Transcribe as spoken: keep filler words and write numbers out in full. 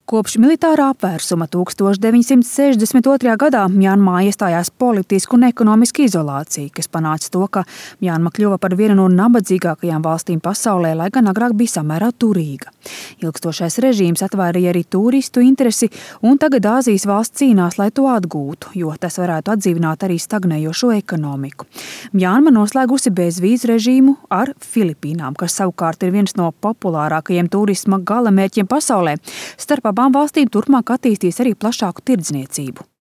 Kopš militārā apvērsuma tūkstoš deviņsimt sešdesmit otrajā gadā Mjanmā iestājās politiska un ekonomiska izolācija, kas panāca to, ka Mjanma kļuva par vienu no nabadzīgākajām valstīm pasaulē, lai gan agrāk bija samērā turīga. Ilgstošais režīms atvairīja arī turistu interesi, un tagad Āzijas valsts cīnās, lai to atgūtu, jo tas varētu atdzīvināt arī stagnējošo ekonomiku. Mjanma noslēgusi bezvīzu režīmu ar Filipīnām, kas savukārt ir viens no populārākajiem turisma galamērķiem pasaulē. Starp abām valstīm turpmāk attīstīs arī plašāku tirdzniecību.